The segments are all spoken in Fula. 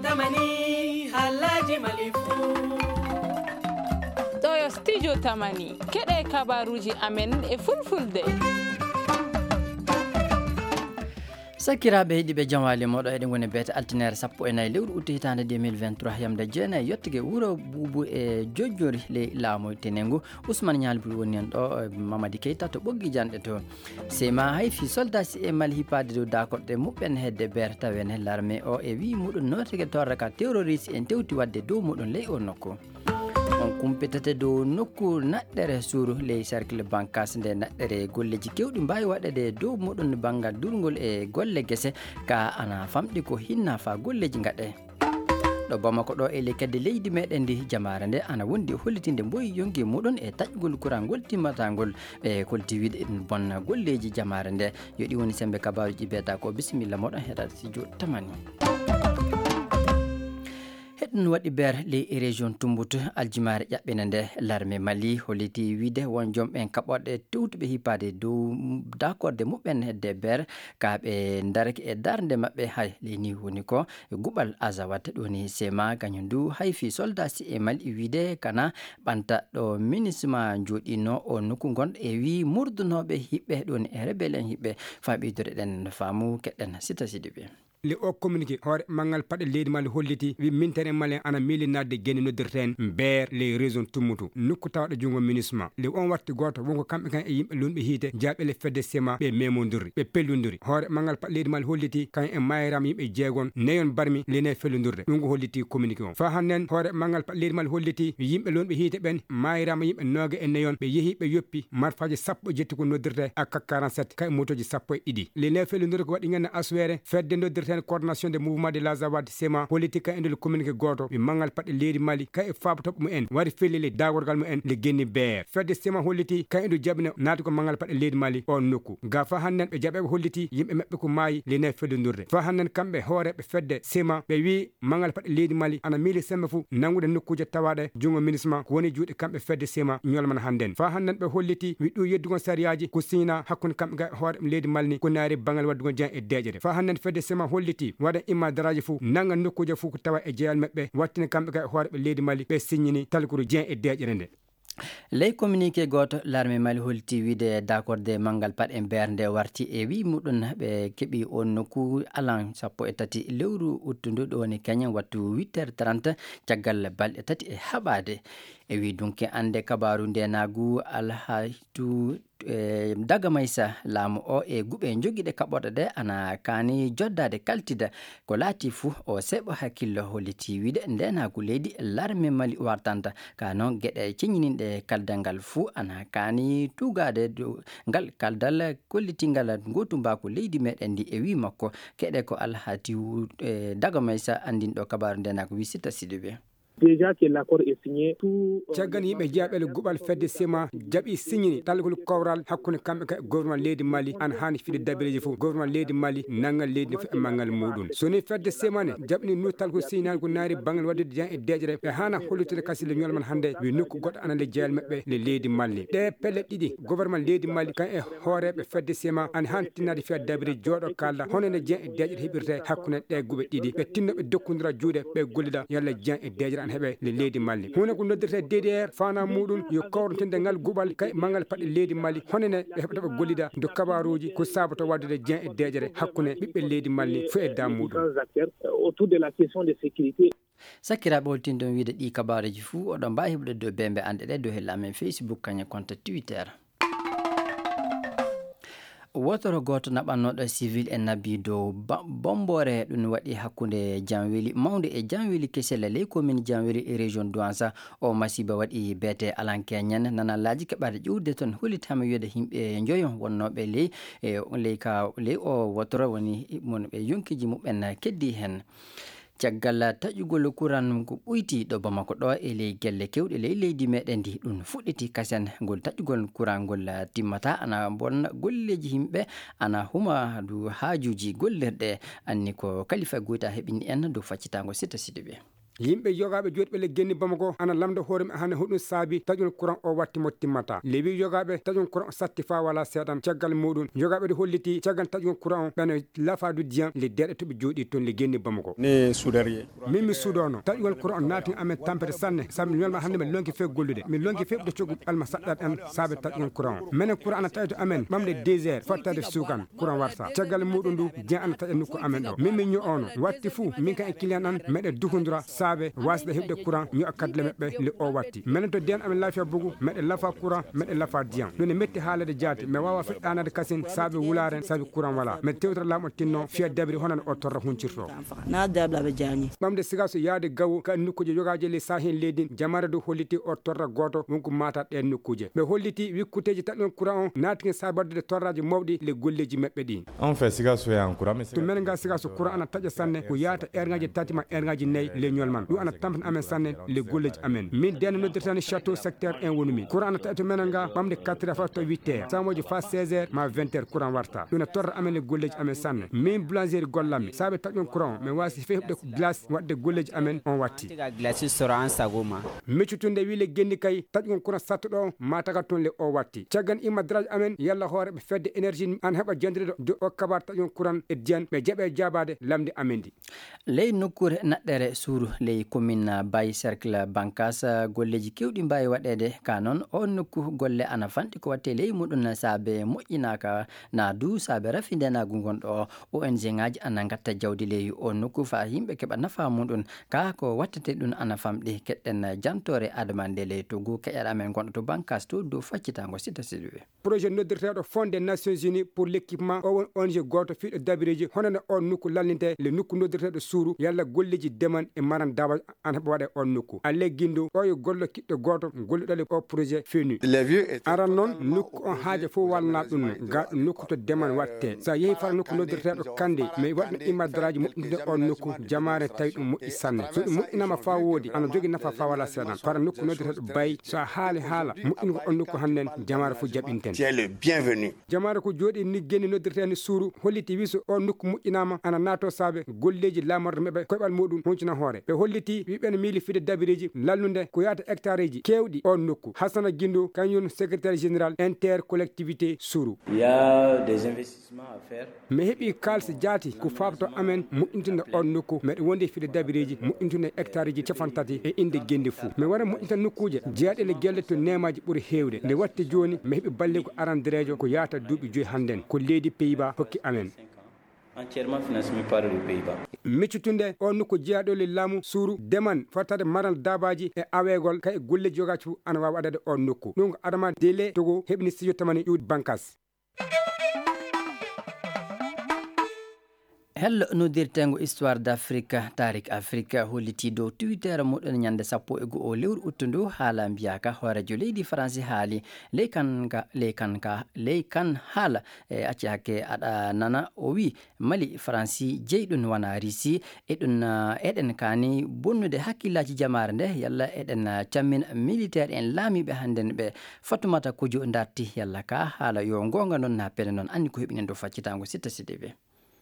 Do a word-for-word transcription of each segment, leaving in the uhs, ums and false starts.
Tamani, halaji malifu. Ɗo yo studio Tamani. Keɗe kabaruji amen e fulfulde. Sakiraaɓe heɗiiɓe, jam waali moɗo. Eɗen ngoni beete altine sappo e nayi lewru utte hitaande deux mille vingt-trois, yamde jeenayi yettude wuro Buubu e Jojjori ley laamu Tenengu. Ousmane Ñaali Bul woni en ɗo, eh, Mamadi Keita to ɓoggi janɗe to. Sema hay fii soldaasi e Mali hippaade dow daakorɗe muɓɓen hedde beer tawene larme o e wii muɗum nootege torra ka terroriste en tewti waɗde dow muɗum ley o nokku. On kumpitete dow nokku naɗɗere suuru ley cercle Bankas nde naɗɗere golleeji kewɗi mbaawi waɗeede dow muɗum banngal durngol e golle gese ka ana famɗi ko hinna faa golleeji ngaɗe. Ɗo Bamako ɗo e ley kadi leydi meɗen ndi jamaare nde ana wondi e hollitinde mboyi yonki muɗum e taƴgol kurangol timmatangol ɓe kolti wiide ɗum bonna golleeji jamaare nde. Yo ɗi woni sembe kabaruji beta ko bisimilla moɗon heɗa studio Tamani. Heɗɗum waɗi beer ley région Tumbut aljimaare ƴaɓɓina nde larme Mali holliti wiide won joom ɓen kaɓorɗe tewtuɓe hippaade dow dakorde muɓɓen hedde beer ka ɓe darake e darnde maɓɓe hay ley ni woni ko guɓal Azawat ɗoni sema kañum du hay fii soldaasi e Mali wiide kana ɓanta ɗo minisma jooɗino o nokku gonɗo e wii murdunooɓe hiɓɓe ɗoni e rebel en hiɓɓe faa ɓeydude ɗen faamu keɗɗen sita sidi ɓe. Le o communiqué hoore manngal paɗe leydi Mali holliti wi mintere Mali ana miili nadde geni noddirten mbeer ley région Tummutu nokku tawɗo junngo minisma. Le on warti gooto wonko kamɓe kan e yimɓe lunɓe hiite jaaɓele fedde sema ɓe memondirri ɓe pellundiri. Hoore manngal paɗe leydi Mali holliti kan e maayiraama yimɓe jeegon neyon barmi lene fellundirde. Ɗum ko holliti communiqué on. Faa hannden hoore manngal paɗe leydi Mali holliti yimɓe lunɓe hiite ɓen maayiraama yimɓe nooga e neyon ɓe yehi ɓe yoppi marfaaji sappo e jetti ko noddirte A K quarante-sept kay motooji sappo e ɗiɗi. Lene fellundirde ko waɗi ngannde aswere fedde noddirten coordination de mouvement de l'Azawad sema holliti kay e nder communiqué gooto mi manngal paɗe leydi Mali kay e faabotooɓe mumen wari fellili daagorgal mumen le genni beer. Fedde sema holliti kay e ndu jaɓino naati ko manngal paɗe leydi Mali on nokku. Ga faa hannden ɓe jaɓeeɓe holliti yimɓe maɓɓe ko maayi lene fellundirde. Faa hannden kamɓe hooreeɓe fedde sema ɓe wii manngal paɗe leydi Mali ana miili sembe fuu nanngude nokkuuje tawaaɗe junngo minisma ko woni juuɗe kamɓe fedde sema ñolmana hannden. Faa hannden ɓe holliti wi ɗum yeddugol sariyaaji ko siñinaa hakkunde kamɓe ga e hoore leydi Mali ni ko naari banngal waɗdugol jeyan e deeƴere. Faa hannden fedde sema holliti waɗa imma daraaji fuu nannga nokkuuje fuu ko tawa e jeyal maɓɓe wattina kamɓe ga e hoore ɓe leydi Mali ɓe siñini talkuru jeyan e deeƴere nde. Ley communiqué gooto, larme Mali holti wiide dakorde manngal paɗe mbeer nde warti e wii muɗum ɓe keɓi on nokku alan sappo e tati lewru uttundu ɗo woni kañum wattu huit heures trente caggal balɗe tati e haɓaade. E wii dunke annde kabaaru ndenaagu alhaytu e daga maysa laamu o e guɓe jogiiɗe kaɓorɗe ɗe ana kaani joddaade kaltida ko laati fuu o seeɓo hakkillo holliti wiide ndenaagu leydi larme Mali wartanta ka noon geɗe ceñininɗe kaldal ngal fuu ana kaani tugaade dow ngal kaldal kollitingal ngootumbaaku leydi meɗen ndi e wii makko keɗe ko alhaati wu- e daga maysa anndinɗo kabaaru ndenaagu wi sitta sidiɓe. Déjà que l'accord est signé, tout, euh, caggal yimɓe jeyaɓele guɓal fedde sema jaɓi siñini talgol kowral hakkunde kamɓe ka gouvernement leydi Mali an haani fiɗde dabireji fof gouvernement leydi Mali nanngal leydi fof e manngal muɗum. So ni fedde sema ne jaɓni nu talgol siñinani ko naari banngal waɗde jan e deƴre ɓe haana hollutude kasille ñol man hannde wi nokku goɗɗo ana le jeyal maɓɓe le leydi Mali. Ɗe pelle ɗiɗi gouvernement leydi Mali kan e hooreeɓe fedde sema an han tinnaade fiya dabiri jooɗo kalda hono nde jan e deƴre heɓirte hakkunde ɗe guɓe ɗiɗi ɓe tinno ɓe dokkondira juuɗe ɓe gollida yalla jan e deƴre an heɓe le leydi Mali. Huunde ko noddirte D D R fana muɗum yo kawrotinde ngal guɓal kay manngal paɗe leydi Mali hono ne ɓe heɓata ɓe gollida do kabaruuji ko sabato waddude jan e deƴre hakkunde ɓiɓɓe leydi Mali fof e dam muɗum. Différents acteurs, euh, autour de la question de sécurité. Sakkiraaɓe holtinɗon wiide ɗi kabaaruuji fuu oɗon mbaawi heɓude dow bembe anɗe ɗe dow hella amen Facebook kañe compte Twitter. Wotoro gooto naɓannooɗo civil e nabbi dow ba- bombore ɗum waɗi hakkunde janweli mawnde e janweli kesel ley commune janweli e région Douanza. O masiba waɗi beete alankeñen nanalaaji keɓaade ƴuwde toon holitaama wiyeede yimɓe njoyo wonnooɓe ley e ley ka ley o wotoro woni mon ɓe yonkiiji muɓɓen keddi heen. Caggal taƴugol kuran ko ɓoyti ɗo Bamako ɗo e ley gelle kewɗe ley leydi meɗen ndi ɗum fuɗɗiti kasen ngol taƴugol kuran ngol timmata ana bonna golleeji yimɓe ana huma du haajuuji gollirɗe anni ko kalifa goyta heɓini en dow faccitaango sita sidiɓe. Yimɓe yogaaɓe jooɗiiɓe le genni Bamako ana lamda hoore mum hannde hoɗum saabi taƴgol courant o watti mo timmata. Le wi yogaaɓe taƴgol courant o satti faa wala seeɗan. Caggal muɗum yogaaɓe ɗi holliti caggal taƴgol courant o ɓeno lafa du diyan le deeɗe to ɓe jooɗii toon le genni Bamako. Ni suudariye. Min mi suudono taƴgol courant o naati amen tampere sanne sabu mi welma hannde mi lonki few gollude. Mi lonki few ɗo coggu ɓalma saɗɗat an saabe taƴgol courant o. Menen courant ana taƴa to amen ɓamde deux heures fottade suukan. Courant warta. Caggal muɗum ndu, diyan ana taƴa nokku amen ɗo. Min min ño'ono. Watti fuu, min kan e client an, meɗe duhundura saabe wasde heɓde courant, ño'a kadle meɓɓe le o watti. Menen to diyan amen lafiya bugu, meɗe lafa courant, meɗe lafa diyan. Ɗum ne metti haalede jaati, mi wawa feɗɗanade kasin saabe wularen, saabe courant wala. Meɗe tewtata laamu o tinno, fiya dabiri honande o torra huncirto. Na dabla be jani. Ɓamde siga so yaade gawo, ka nokkuuje yogaaje le saahen leydi, jamaare dow holliti o torra gooto, wonko maata ɗeen nokkuuje. Ɓe holliti wikkuteeji taƴgol courant on naatike sabi waɗude torraaji mawɗi le golleeji maɓɓe ɗin. On fait siga so yahan courant mi. To menen ga siga so courant ana taƴa sanne ko yaata erŋaaji tati ma erŋaaji nayi le ñol man. Ɗum ana tampina amen sanne le golleeji amen. Min denne noddirtani château secteur un wonu min. Courant ana taƴa to menen ga ɓamde quatre heures faa to huit heures. Samooji faa seize heures ma vingt heures courant warta. Ɗum na torra amen le golleeji amen sanne. Min boulangerie gollammi. Saabe taƴgol courant mi wasi few heɓde glace waɗde golleeji amen on watti. Tiga glacis soro an sago ma. Meccutunde wi le genni kay taƴgol courant sattuɗo on ma taga toon le o watti. Caggal imma daraaji amen yalla hooreɓe fedde énergie an heɓa jandire do o kabar taƴgol courant e diyan ɓe jaɓe jaabaade lamde amen ndi. Ley nokkuure naɗɗere suuru ley commune Baye Cercle Bankas, golleeji kewɗi mbaawi waɗeede. Ka noon, o nokku golle ana fanɗi ko waɗte ley muɗum saabe moƴƴinaaka na du saabe rafi ndenaagu ngonɗo o. O N G ŋaaji ana ngatta jawdi ley o nokku faa yimɓe keɓa nafa muɗum. Ka ko wattete ɗum ana famɗi. Keɗɗen jantoore Adama nde ley Togo keƴal amen gonɗo to Bankas to dow faccitango Sita Sidibé. Projet noddirteeɗo Fonds des Nations Unies pour l'équipement o won O N G gooto fiiɗo dabireeji honande o nokku lallinte le nokku noddirteeɗo suuru yalla golleeji deman e maran daabaaji ana heɓa waɗa e on nokku. Alle Gindo o yo gollo kiɗɗo gooto golluɗo le o projet fenu. Aran noon nokku on haaja fof walna ɗum no ga ɗum nokku to deman watte. So a yehi fara nokku noddirteeɗo Kande mi waɗno imma daraaji moƴƴinde on nokku jamaare tawi ɗum moƴƴi sanne. So ɗum moƴƴinama faa woodi ana jogi nafa faa wala seeɗan. Fara nokku noddirteeɗo Bayi so a haali haala moƴƴingo on nokku hannden jamaare fof jaɓinten. Jamaare ko jooɗi ni genni noddirteeni suuru holliti wi so o nokku moƴƴinaama ana naato saabe golleeji laamorɗe maɓɓe koyɓal muɗum huncina hoore. Ɓe holliti wi ɓen miili fide dabireeji lallunde ko yaata hectareeji keewɗi on nokku. Hasana Gindo kañum secrétaire général intercollectivité suuru. Il y a des investissements à faire. Mi heɓi kaalisi jaati ko faabto amen moƴƴintunde on nokku. Meɗe wondi e fide dabireeji moƴƴintunde hectareeji capanɗe tati e innde genndi fuu. Mi wara moƴƴinta nokkuuje jeyaaɗe le gelle to neemaaji ɓuri heewde. Nde watti jooni mi heɓi balligu arandereejo ko yaata duuɓi joyi hannden ko leydi Pays-Bas hokki amen. Entièrement financé par les Pays-Bas. Miccutunde o nokku jeyaaɗo le laamu suuru deman fottade maral daabaaji e aweegol kay e golleeji yogaaji fuu ana waawi waɗade o nokku. Ɗum ko Adama Dele Togo heɓni studio tamani ƴuwdi Bankas. Hello noddirteengo Histoire d'Afrique, Tarik Afrique, hollitii dow Twitter muɗum ñannde sappo e go'o lewru uttu ndu, haala mbiyaaka hooreejo leydi Faransi haali ley kan ka, ley kan ka, ley kan haala, e acci hakke aɗa nana, o wii, Mali, Faransi jeyi ɗum wona Risi, e ɗum, ah, eɗen kaani bonnude hakkillaaji jamaare nde, yalla eɗen, ah, cammina militaire en laamiiɓe hannden ɓe. Fatumata Kojo darti, yalla ka haala yo goonga noon na pene noon, anndi ko heɓinen dow faccitaango Sitta Sidibé.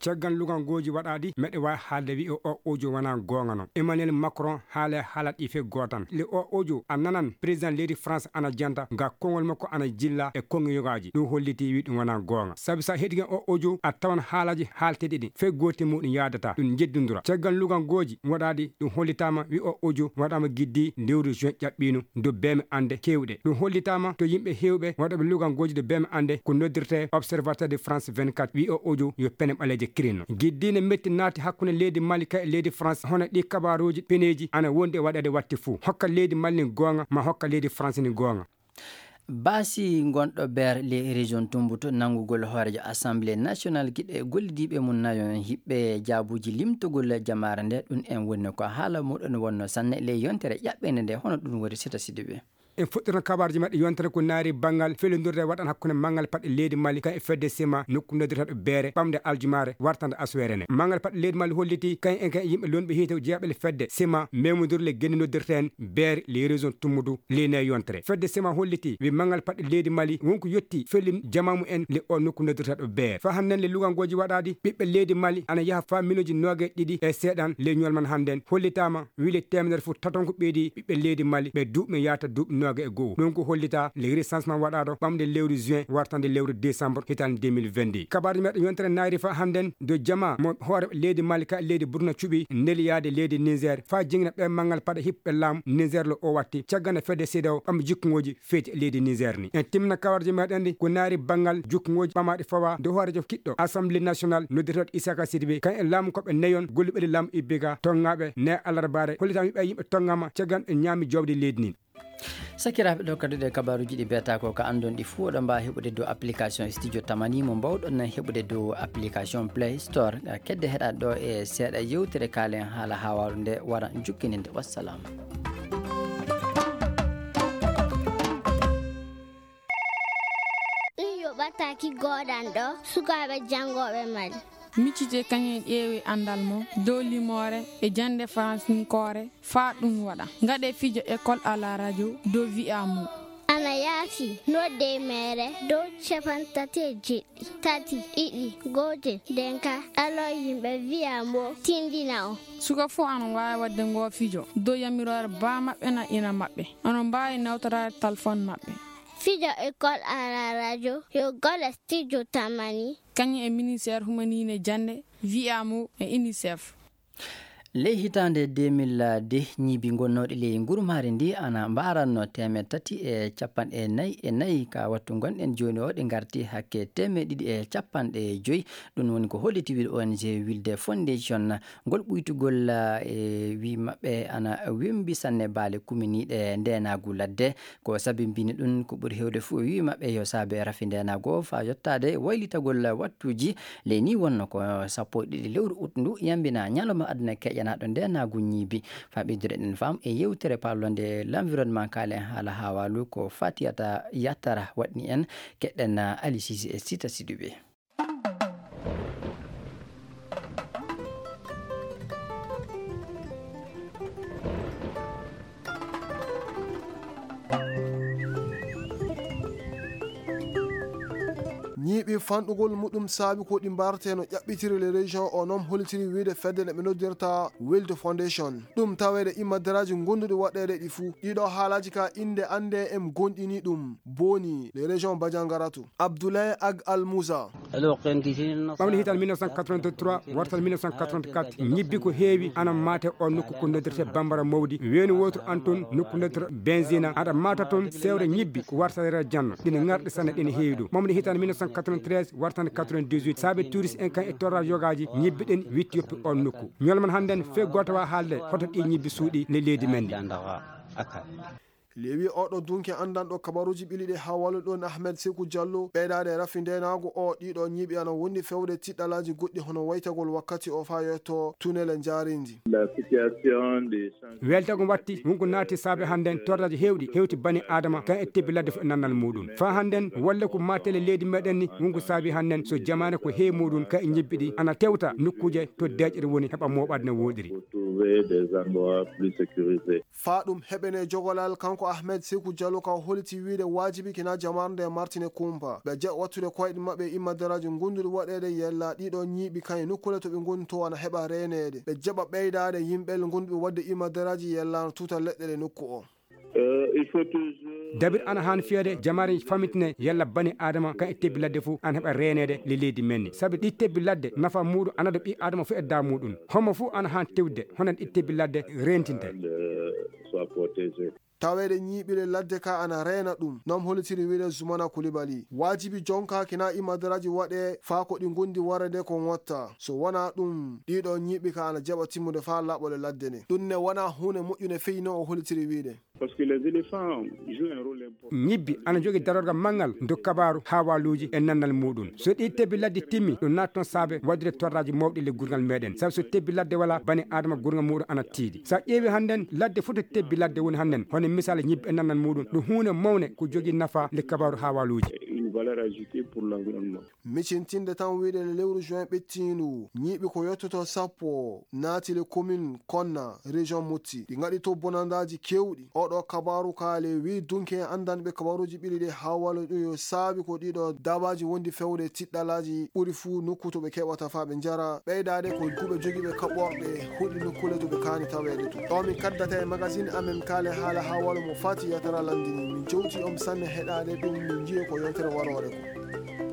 Caggal lugangooji waɗaaɗi, meɗe waawi haalde wi'o o audio wonaa goonga non. Emmanuel Macron haala e haalat ɗi fee gootan. Le o audio a nanan président leydi France ana janta, ga konngol makko ana jilla e konngol yogaaji. Ɗum hollitii wi ɗum wonaa goonga. Sabi so a heɗike o audio, a tawan haalaaji haalteeɗi ɗin fee gooti muɗum yaadataa. Ɗum njeddundura. Caggal lugangooji waɗaaɗi, ɗum hollitaama wi o audio waɗaama giddi lewru juin ƴaɓɓiino. Dow beeme annde keewɗe. Ɗum hollitaama to yimɓe heewɓe waɗooɓe lugangooji dow beeme annde ko noddirtee Observateur de France vingt-quatre wi o audio yo pene ɓaleeje kirino. Giddiine metti naati hakkunde leydi Mali kay e leydi France hono ɗi kabaaruuji peneeji ana wondi e waɗeede watti fuu. Hokka leydi Mali ni goonga ma hokka leydi France ni goonga. Baasi gonɗo Beer ley région Tumbut nanngugol hooreejo Assemblée nationale giɗe gollidiiɓe mum nayo hiɓɓe jaabuuji limtugol jamaare nde ɗum en woni ko haala muɗum wonno sanne ley yontere ƴaɓɓende nde hono ɗum woni Sita Sidibé. En fuɗɗirno kabaruji meɗen yontere ko naari banngal fellodire waɗan hakkunde manngal paɗɗe leydi Mali kan e fedde sima nokku noddirteɗo beere ɓamde aljumaare wartande aswere ne. Manngal paɗɗe leydi Mali holliti kan e kan yimɓe lonɓe hiite jeyaɓe le fedde sima memodirle genne noddirte en beere le région tummudu leyne yontere. Fedde sima holliti wi manngal paɗɗe leydi Mali wonko yetti fellin jamamu en le o nokku noddirteɗo beere. Fa hannden le lugangoji waɗaɗi ɓiɓɓe leydi Mali ana yaha fa miloji noge ɗiɗi e seeɗan le ñolman hannden hollitama wile temedere fof taton ko ɓeydi ɓiɓɓe leydi Mali ɓe duuɓi yaata duuɓi nooga e go'o. Ɗum ko hollita le recensement waɗaɗo ɓamde lewru juin wartande lewru décembre hitande deux mille vingt-deux. Kabaruji meɗen yontere naari fa hannden do jama mo hoore leydi Mali ka leydi Burkina cuɓi neliyaade leydi Niger fa jingna ɓe manngal paɗa hiɓɓe laamu Niger lo o watti caggana fedde CEDEAO ɓamde jikkuŋoji feeti e leydi Niger ni. En timmina kabaruji meɗen ɗi ko naari banngal jukkuŋoji ɓamaɗi fawa do hoorejo kiɗɗo Assemblée nationale noddirteɗo Isaka Sidibé kan e laamu koɓe neyon golluɓe laamu ibbiga tongaɓe ne alarbaare hollitama wiɓe yimɓe tongama caggan ɓe ñaami jobde leydi ndin. Sakiraaɓe, ɗo kadi ɗe kabaruji ɗi beeta ko ka andon ɗi fuu oɗon mbaawi heɓude dow application studio tamani mo mbawɗon nan heɓude dow application play store. Kedde heɗa ɗo e seeɗa yewtere kaalen haala haawaaru nde wara jukkininde. Wassalam. Ɗum yoɓataaki goodanɗo sukaaɓe janngooɓe Mali. Miccite kañum ƴeewi anndal mum dow limoore e jannde faransinkoore faa ɗum waɗa. Ngaɗe fijo école à la radio dow wi'a mum. Ana yaafi nodde meere dow capantati e jeɗɗi tati ɗiɗi gootel denka ɗalo yimɓe wi'a mbo tindina o. Suka fof ana waawi waɗde ngoo fijo dow yamiroore baa maɓɓe na ina maɓɓe. Onon mbaawi nawtoraade talfon maɓɓe. Fijo école à la radio yo gole studio tamani. Kañum e ministère humanine jannde, wi'a mo e unicef. Ley hitaande deux mille deux, ñiibi gonnooɗi ley ngurmaari ndi ana mbaaranno teemeɗɗe tati e cappanɗe nayi e nayi. Ka wattu ngonɗen jooni o, ɗi ngarti hakke teemeɗɗe ɗiɗi e cappanɗe joyi. Ɗum woni ko holliti wiɗo O N G Wilde Foundation. Ngol ɓuytugol, eh, e wi maɓɓe ana wembi sanne baale kuminiiɗe ndeenaagu ladde. Ko sabi mbini ɗum ko ɓuri heewde fuu e wi maɓɓe yo saabe rafi ndeenaagu o faa yottaade waylitagol wattuuji. Ley ni wonno ko sappo e ɗiɗi lewru ut ndu yambina ñalawma aduna keƴanaaɗo ndeenaagu ñiibi. Faa ɓeydude ɗen faam e yewtere palonde l'environnement kaalen haala haawaalu ko Fatiyata Yattara waɗni en. Keɗɗen Ali Sisi e Sita Siduɓe. Ñiiɓi fanɗugol muɗum saabi ko ɗi mbartee no ƴaɓɓitiri le région o noon holitiri wiide fedde nde ɓe noddirta Wild Foundation. Ɗum taweede immadaraaji gonduɗi waɗeede ɗi fuu. Ɗiɗo haalaaji ka innde annde em gonɗini ɗum. Boni le région Bajangaratu. Abdoulaye Ag Al Moussa. Ɓamde hitan mille neuf cent quatre-vingt-trois wartan mille neuf cent quatre-vingt-quatre ñibbi ko heewi ana maate o nokku ko noddirte Bambara Mawdi weeni wotoro an toon nokku noddirte Benzina aɗa maata toon sewre ñibbi ko warta rera janno ɗina ŋarɗe sanne ɗina heewi ɗum ɓamde hitan mille neuf cent quatre-vingt-treize wartan quatre-vingt-dix-huit saabe touriste en kan e torra yogaji ñibbi ɗen witti yoppi on nokku ñolman hannden fe goto wa haalde hoto ɗi ñibbi suuɗi le leydi men ndi. Lewi oɗo dunke anndanɗo kabaruuji ɓili ɗe haa wallude ɗon Ahmed Seku Diallo, ɓeydaade e rafi ndeenaagu o, ɗiɗo ñiiɓi ana wondi fewde tiɗɗalaaji goɗɗi hono waytagol wakkati o faa yetto tunele njaarindi. Weltago watti wonko naati saabe hannden torraji heewɗi hewti bani Aadama kan e tebbi ladde fof e nannal muuɗum. Faa hannden wolle ko maatele leydi meɗen ni wonko saabi hannden so jamaane ko heewi muuɗum kan e ñebbi ɗi ana tewta nokkuuje to deeƴere woni heɓa mooɓaade no wooɗiri. Faa ɗum heɓene jogolal kanko Ahmed Seku Diallo ka holiti wiide waajibi kina jamaare nde martine kumpa ɓe jaɓa wattude koyɗe maɓɓe e immadaraaji ngonduɗi waɗeede yella ɗiɗo ñiiɓi kan e nokkuule to ɓe ngoni to ana heɓa reeneede ɓe jaɓa ɓeydaade yimɓe ngonduɓe waɗde immadaraaji yella no tuta leɗɗe ɗe nokku o. Dabir ana haan fiyeede jamaare famitine yalla bani Aadama kan e tebbi ladde fof ana heɓa reeneede le leydi men ni sabi ɗi tebbi ladde nafa muuɗum ana do ɓi Aadama fof e da muuɗum homo fof ana haan tewde hono ɗi tebbi ladde reentinte. Taweede ñiiɓile ladde ka ana reena ɗum noom holitiri wiide Zumana Kulibali waajibi jonka kina imadaraaji waɗe faa ko ɗi ngondi warede ko ŋotta so wonaa ɗum ɗiɗo ñiiɓi ka ana jaɓa timmude faa laɓɓole ladde ne ɗum ne wonaa huunde moƴƴunde feyi no o holitiri wiide. Ñibbi ana jogi darorgal manngal ndo kabaaru haawaaluuji e nannal muuɗum so ɗi tebbi ladde timmi ɗum naat toon saabe waɗude torraaji mawɗi le gurngal meɗen sabu so tebbi ladde wala bani Aadama gurngal muuɗum ana tiiɗi so a ƴeewi hannden ladde fof to tebbi ladde woni hannden hono Misal, ñiɓɓe nannan muɗum ɗum huunde mawne ko jogii nafa le kabaaru haawaaluuji. Micintinde tan wiyde le lewru juin ɓettiindu, ñiiɓi ko yottoto sappo naati le commune Konna, région Motti. Ɗi ngaɗi to bonandaaji keewɗi. Oɗo kabaaru kaale wi dunke anndanɓe kabaaruuji ɓili ɗe hawalo ɗum yo saabi ko ɗiɗo dabaaji wondi fewde tiɗɗalaaji ɓuri fuu nokku to ɓe keɓata faa ɓe njara. Ɓeydaade ko duuɓe jogiiɓe kaɓɓorɗe huɗi nokkuule to ɓe kaani taweede to. Ɗo min kaddata e magazine amen kaale haala hawalo mo faati yatara landini. Min jowti on sanne heɗaade ɗum min njiye ko yontere waroore ko.